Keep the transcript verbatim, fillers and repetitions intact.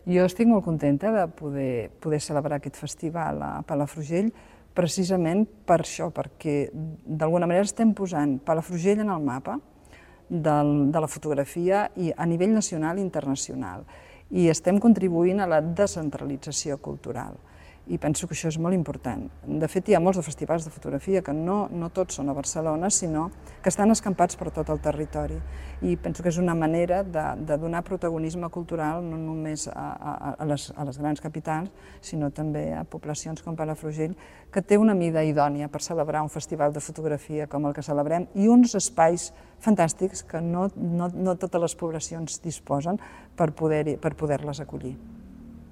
Jo estic molt contenta de poder, poder celebrar aquest festival a Palafrugell, precisament per això, perquè d'alguna manera estem posant Palafrugell en el mapa del, de la fotografia i a nivell nacional i internacional, i estem contribuint a la descentralització cultural. I penso que això és molt important. De fet, hi ha molts de festivals de fotografia que no, no tots són a Barcelona, sinó que estan escampats per tot el territori. I penso que és una manera de, de donar protagonisme cultural no només a, a, a, les, a les grans capitals, sinó també a poblacions com Palafrugell, que té una mida idònia per celebrar un festival de fotografia com el que celebrem i uns espais fantàstics que no, no, no totes les poblacions disposen per poder, per poder-les acollir.